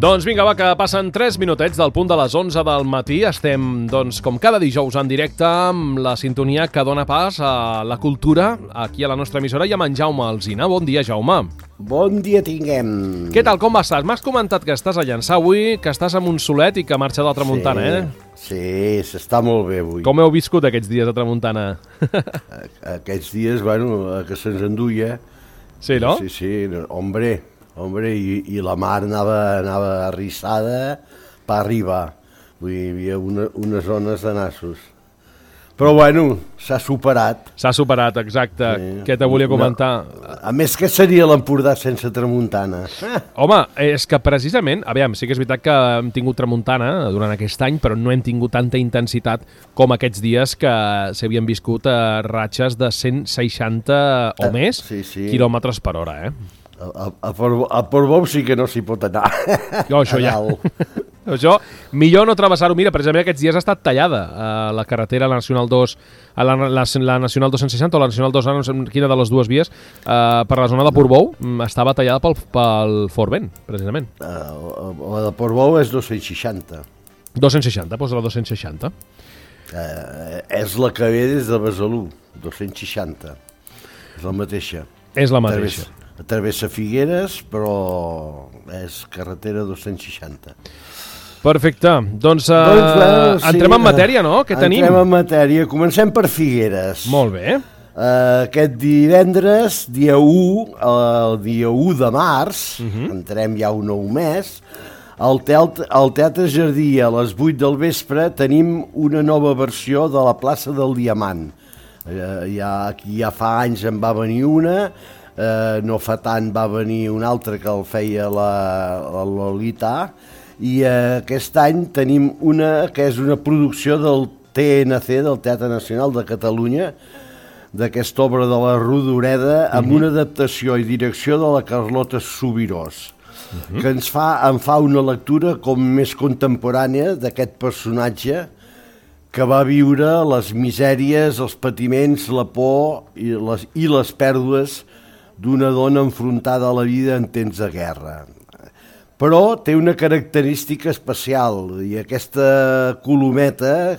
Doncs vinga, va, que passen 3 minutets del punt de les 11 del matí. Estem, doncs, com cada dijous en directe amb la sintonia que dona pas a la cultura aquí a la nostra emissora i amb en Jaume Alsina. Bon dia, Jaume. Bon dia tinguem. Què tal, com estàs? M'has comentat que estàs a Llançà avui, que estàs amb un solet i que marxa de la tramuntana, Sí, s'està molt bé avui. Com heu viscut aquests dies de tramuntana? Aquests dies, bueno, que se'ns enduia. Sí, no? Sí, hombre, i la mar anava arrissada per arribar. Vull dir, hi havia unes zones de nassos. Però, bueno, s'ha superat. S'ha superat, exacte. Sí. Què te volia comentar? A més, què seria l'Empordà sense tramuntana? Home, és que precisament, aviam, sí que és veritat que hem tingut tramuntana durant aquest any, però no hem tingut tanta intensitat com aquests dies que s'havien viscut a ratxes de 160 o més quilòmetres per hora, A Portbou sí que no s'hi pot anar. Això ja. Això, millor no travessar-ho. Mira, precisament aquests dies ha estat tallada la carretera, la Nacional 2, la Nacional 260 o la Nacional 2, no sé quina de les dues vies, per la zona de Portbou, estava tallada pel Fort Vent, precisament. La de Portbou és 260. 260, doncs la 260. És la que ve des de Besalú, 260. És la mateixa. És la mateixa. Travessa Figueres, però és carretera 260. Perfecte. Doncs entrem en matèria, no? Què tenim? Entrem en matèria. Comencem per Figueres. Molt bé. Aquest divendres, el dia 1 de març, entrem ja un nou mes, al Teatre Jardí a les 8 del vespre tenim una nova versió de la plaça del Diamant. Ja fa anys en va venir una, no fa tant va venir un altre que el feia la Lolita, i aquest any tenim una que és una producció del TNC, del Teatre Nacional de Catalunya, d'aquesta obra de la Rodoreda, amb una adaptació i direcció de la Carlota Subirós, que em fa una lectura com més contemporània d'aquest personatge que va viure les misèries, els patiments, la por i les pèrdues d'una dona enfrontada a la vida en temps de guerra. Però té una característica especial, i aquesta colometa,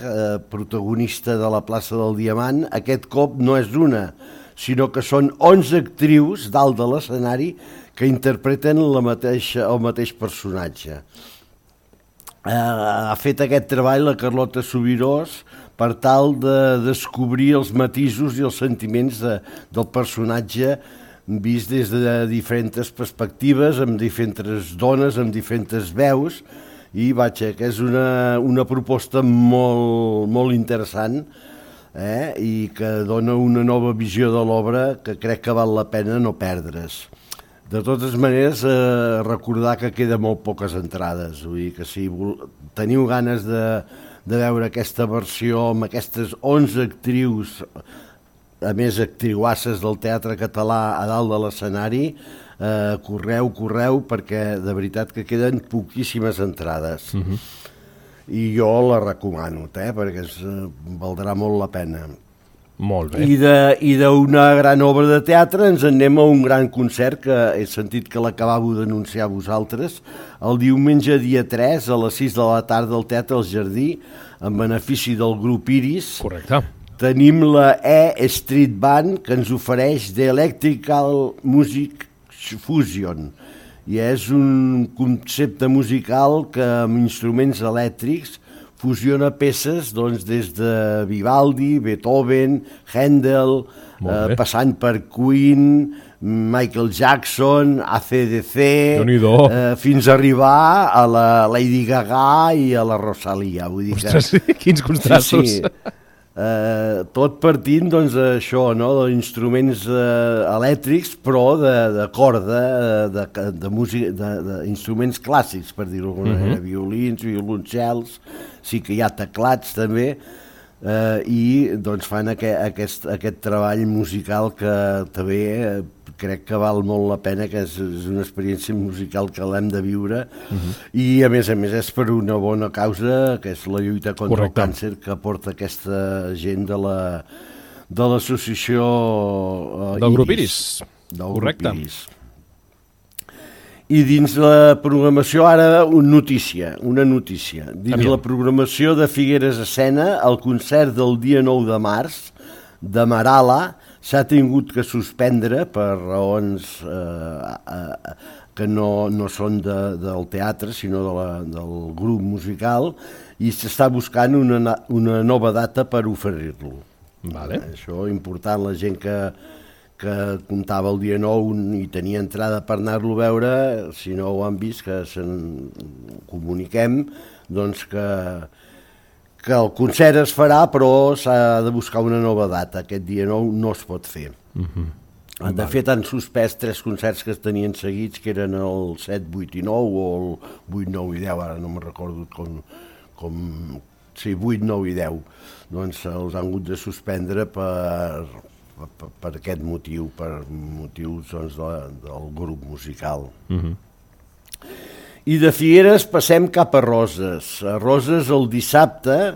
protagonista de la plaça del Diamant, aquest cop no és una, sinó que són 11 actrius dalt de l'escenari que interpreten el mateix personatge. Ha fet aquest treball la Carlota Subirós per tal de descobrir els matisos i els sentiments del personatge vist des de diferents perspectives, amb diferents dones, amb diferents veus, i que és una proposta molt interessant, i que dona una nova visió de l'obra que crec que val la pena no perdre's. De totes maneres, recordar que queda molt poques entrades, vull dir que si teniu ganes de veure aquesta versió amb aquestes 11 actrius, a més actriuasses del teatre català a dalt de l'escenari, correu, perquè de veritat que queden poquíssimes entrades. I jo la recomano, perquè valdrà molt la pena. Molt bé. I d'una gran obra de teatre ens anem a un gran concert que he sentit que l'acabàveu d'anunciar vosaltres, el diumenge dia 3 a les 6 de la tarda al Teatre El Jardí, en benefici del grup Iris. Correcte. Tenim la E-Street Band, que ens ofereix The Electrical Music Fusion, i és un concepte musical que amb instruments elèctrics fusiona peces des de Vivaldi, Beethoven, Händel, passant per Queen, Michael Jackson, AC/DC, fins a arribar a la Lady Gaga i a la Rosalia. Ostres, quins contrastos! Tot partint això, d'instruments elèctrics, però de corda, d'instruments clàssics, per dir-ho d'alguna manera, violins, violoncels, sí que hi ha teclats també, i fan aquest treball musical que també crec que val molt la pena, que és una experiència musical que l'hem de viure, i a més és per una bona causa, que és la lluita contra el càncer, que porta aquesta gent de l'associació del grup Iris. Del grup Iris. I dins la programació, ara una notícia. Dins la programació de Figueres Escena, el concert del dia 9 de març de Marala s'ha tingut que suspendre per raons que no són del teatre, sinó del grup musical, i s'està buscant una nova data per oferir-lo. Vale. Això és important, la gent que comptava el dia 9 i tenia entrada per anar-lo a veure, si no ho han vist, que se'n comuniquem, doncs que el concert es farà, però s'ha de buscar una nova data. Aquest dia 9 no es pot fer. De fet, han suspès 3 concerts que es tenien seguits, que eren el 7, 8 i 9, o el 8, 9 i 10, ara no me'n recordo sí, 8, 9 i 10. Doncs els han hagut de suspendre per aquest motiu, per motius doncs, del grup musical. I de Figueres passem cap a Roses. A Roses el dissabte,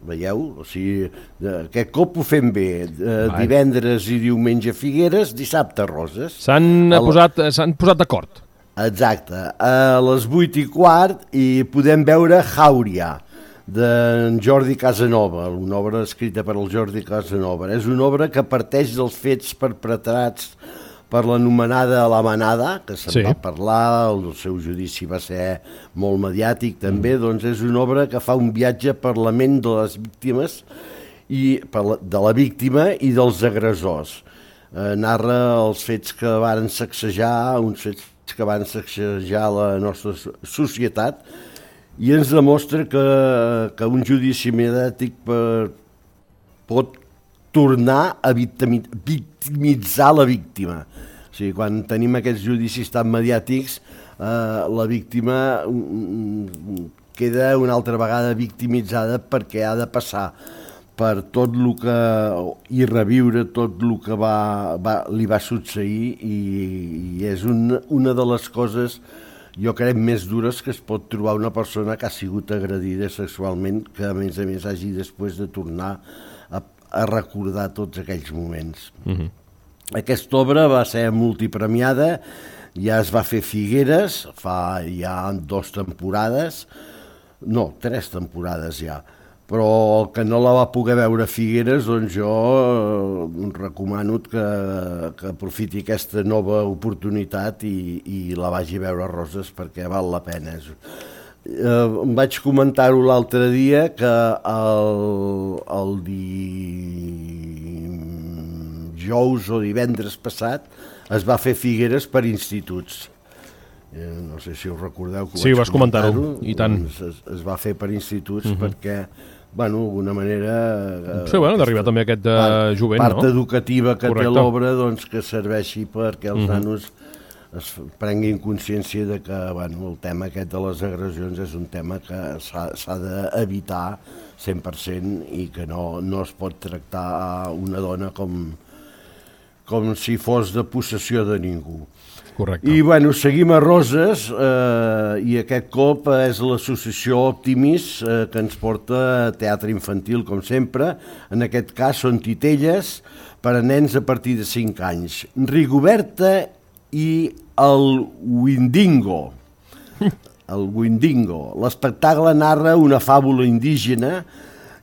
veieu? O sigui, aquest cop ho fem bé. Divendres i diumenge a Figueres, dissabte a Roses. S'han posat d'acord. Exacte. A les 8:15 i podem veure Jauria, d'en Jordi Casanova, una obra escrita per el Jordi Casanova. És una obra que parteix dels fets perpetrats per l'anomenada La Manada, que se'n va parlar, el seu judici va ser molt mediàtic també, doncs és una obra que fa un viatge per la ment de les víctimes, de la víctima i dels agressors. Narra els fets que van sacsejar, uns fets que van sacsejar la nostra societat, i ens demostra que un judici mediàtic pot tornar a victimitzar la víctima. O sigui, quan tenim aquests judicis tan mediàtics, la víctima queda una altra vegada victimitzada perquè ha de passar per tot el que... i reviure tot el que li va succeir, i és una de les coses, jo crec, més dures que es pot trobar una persona que ha sigut agredida sexualment, que a més hagi després de tornar a recordar tots aquells moments. Aquesta obra va ser multipremiada, ja es va fer a Figueres, fa ja 2 temporades, no, 3 temporades ja, però el que no la va poder veure a Figueres, doncs jo recomano que aprofiti aquesta nova oportunitat i la vagi a veure a Roses, perquè val la pena. Vaig comentar-ho l'altre dia, que el dijous o divendres passat es va fer Figueres per instituts. No sé si us recordeu que sí, vas comentar-ho, i tant. Es va fer per instituts perquè, d'alguna manera... Sí, d'arribar també a aquest jovent, no? Part educativa que té l'obra, doncs que serveixi perquè els nanos es prenguin consciència de que el tema aquest de les agressions és un tema que s'ha d'evitar 100% i que no es pot tractar a una dona com si fos de possessió de ningú. Correcte. I seguim a Roses, i aquest cop és l'associació Optimis que ens porta a teatre infantil, com sempre. En aquest cas són titelles per a nens a partir de 5 anys. Rigoberta i el Windingo. L'espectacle narra una fàbula indígena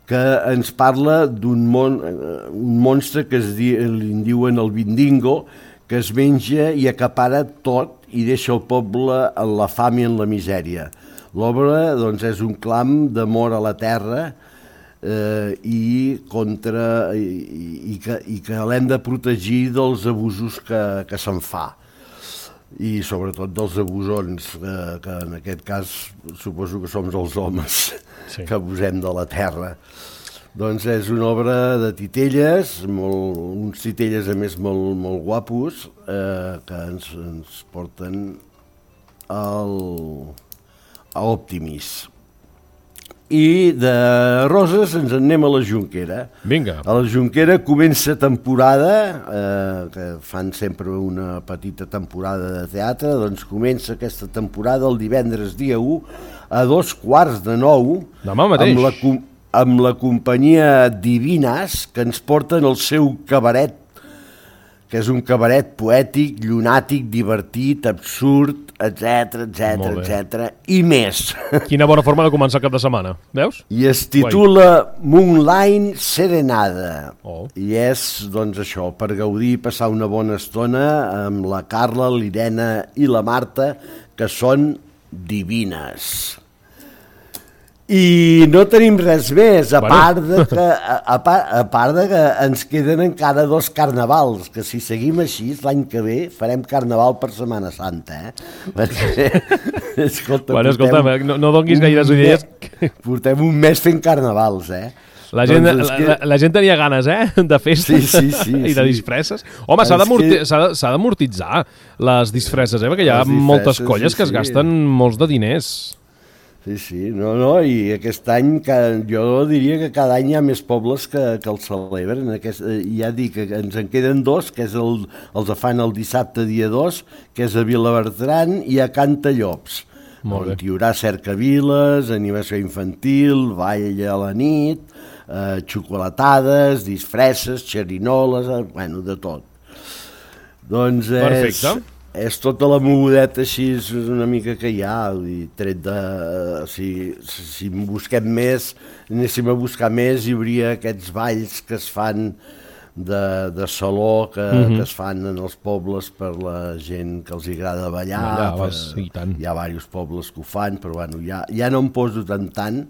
que ens parla d'un monstre que li diuen el Windingo, que es menja i acapara tot i deixa el poble en la fam i en la misèria. L'obra doncs, és un clam d'amor a la terra i que l'hem de protegir dels abusos que se'n fa. I sobretot dels abusons, que en aquest cas suposo que som els homes que abusem de la terra. Doncs és una obra de titelles, uns titelles a més molt guapos, que ens porten a Optimis. I de Roses ens en anem a la Jonquera. Vinga. A la Jonquera comença temporada, que fan sempre una petita temporada de teatre, doncs comença aquesta temporada el divendres dia 1 a 8:45. Demà mateix. Amb la companyia Divinas, que ens porten el seu cabaret, que és un cabaret poètic, llunàtic, divertit, absurd, etc, i més. Quina bona forma de començar el cap de setmana, veus? I es titula Moonlight Serenada. Oh. I és, doncs, això, per gaudir i passar una bona estona amb la Carla, l'Irene i la Marta, que són divines. I no tenim res més, a part de que ens queden encara 2 carnavals, que si seguim així, l'any que ve farem carnaval per Setmana Santa, Perquè, escolta, no donguis gaires idees. Portem un mes fent carnavals, La gent tenia ganes, de festes i de disfresses. Home, s'ha d'amortitzar les disfresses, perquè hi ha moltes colles que es gasten molts de diners. Sí, i aquest any jo diria que cada any hi ha més pobles que el celebren. Ja dic que ens en queden 2, que és els fan el dissabte dia 2, que és a Vilabertran i a Cantallops. On hi haurà cercaviles, animació infantil, ball a la nit, xocolatades, disfresses, xerinoles, de tot. Doncs és tota la mogudeta així una mica que hi ha, tret de... Si busquem més, anéssim a buscar més, hi hauria aquests balls que es fan de saló, que es fan en els pobles per la gent que els agrada ballar. Hi ha diversos pobles que ho fan, però ja no em poso tant.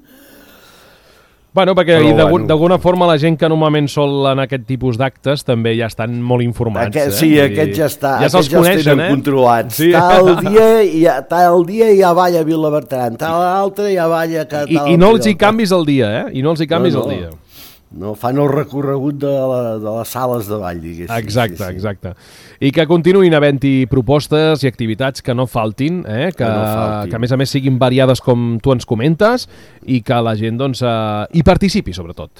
Bueno, perquè d'alguna forma la gent que normalment sol en aquest tipus d'actes també ja estan molt informats. Sí, aquests ja estan, ja se'ls coneixen, controlats. Sí. Tal dia ja balla a Vilabertran, tal altre ja balla... I no els hi canvis el dia, I no els hi canvis el dia. No, fan el recorregut de les sales de ball, diguéssim. Exacte. I que continuïn havent-hi propostes i activitats que no faltin, que a més a més siguin variades com tu ens comentes i que la gent hi participi, sobretot.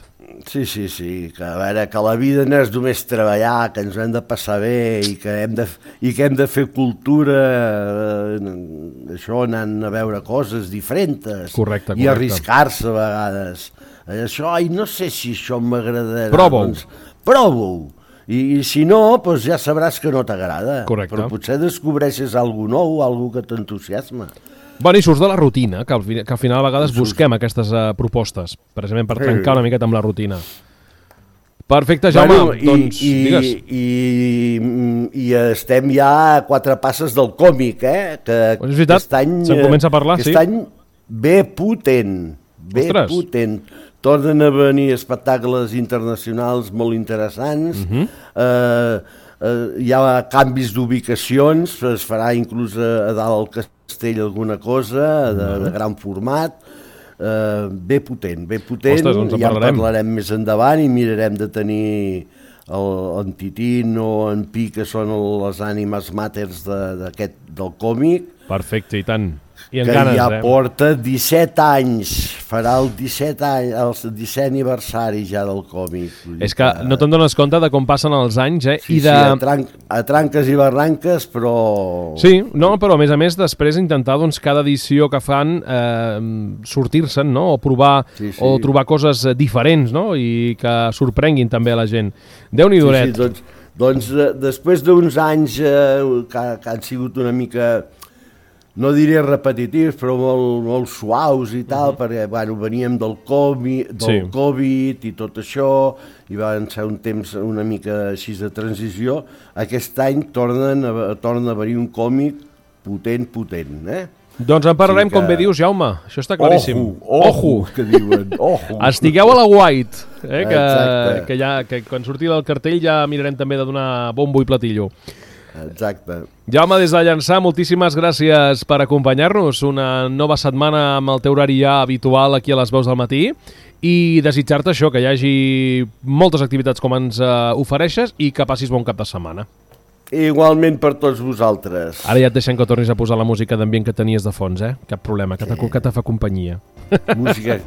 Sí, que a veure, que la vida no és només treballar, que ens hem de passar bé i que hem de fer cultura, això, anant a veure coses diferents. Correcte. I arriscar-se a vegades. Això, no sé si això m'agradarà. Prova-ho. I si no, doncs ja sabràs que no t'agrada. Correcte. Però potser descobreixes alguna nou, alguna que t'entusiasma. Bueno, i surts de la rutina, que al final a vegades busquem aquestes propostes, precisament per trencar una miqueta amb la rutina. Perfecte, Jaume, doncs digues. I estem ja a 4 passes del còmic, que és veritat, se'n comença a parlar, sí. Aquest any ve potent. Tornen a venir espectacles internacionals molt interessants, hi ha canvis d'ubicacions, es farà inclús a dalt al castell alguna cosa de gran format, bé potent, Ostres, ja en parlarem més endavant i mirarem de tenir en Titín o en Pi, que són les ànimes màters del còmic. Perfecte, i tant. Que ja porta 17 anys, farà el 17 aniversari ja del còmic. És que no te'n dones compte de com passen els anys, Sí, a tranques i barranques, però... Sí, no, però a més després intentar cada edició que fan sortir-se'n, no? O provar o trobar coses diferents, no? I que sorprenguin també a la gent. Déu-n'hi-do. Doncs després d'uns anys que han sigut una mica... no diré repetitius, però molt suaus i tal, perquè veníem del Covid i tot això, i van ser un temps una mica així de transició. Aquest any torna a venir un còmic potent, Doncs en parlarem, com bé dius, Jaume, això està claríssim. Ojo, que diuen, ojo. Estigueu a la White, que quan surti del cartell ja mirarem també de donar bombo i platillo. Exacte. Jaume, des de Llançà, moltíssimes gràcies per acompanyar-nos. Una nova setmana amb el teu horari ja habitual aquí a les veus del matí i desitjar-te això, que hi hagi moltes activitats com ens ofereixes i que passis bon cap de setmana. Igualment per tots vosaltres. Ara ja et deixem que tornis a posar la música d'ambient que tenies de fons, Cap problema, que te fa companyia. Música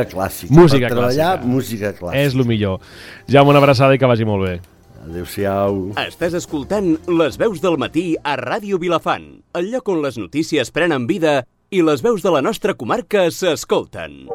clàssica. Música per treballar, clàssica. Música clàssica. És el millor. Jaume, una abraçada i que vagi molt bé. Adéu-siau. Estàs escoltant Les veus del matí a Ràdio Vilafant, el lloc on les notícies prenen vida i les veus de la nostra comarca s'escolten.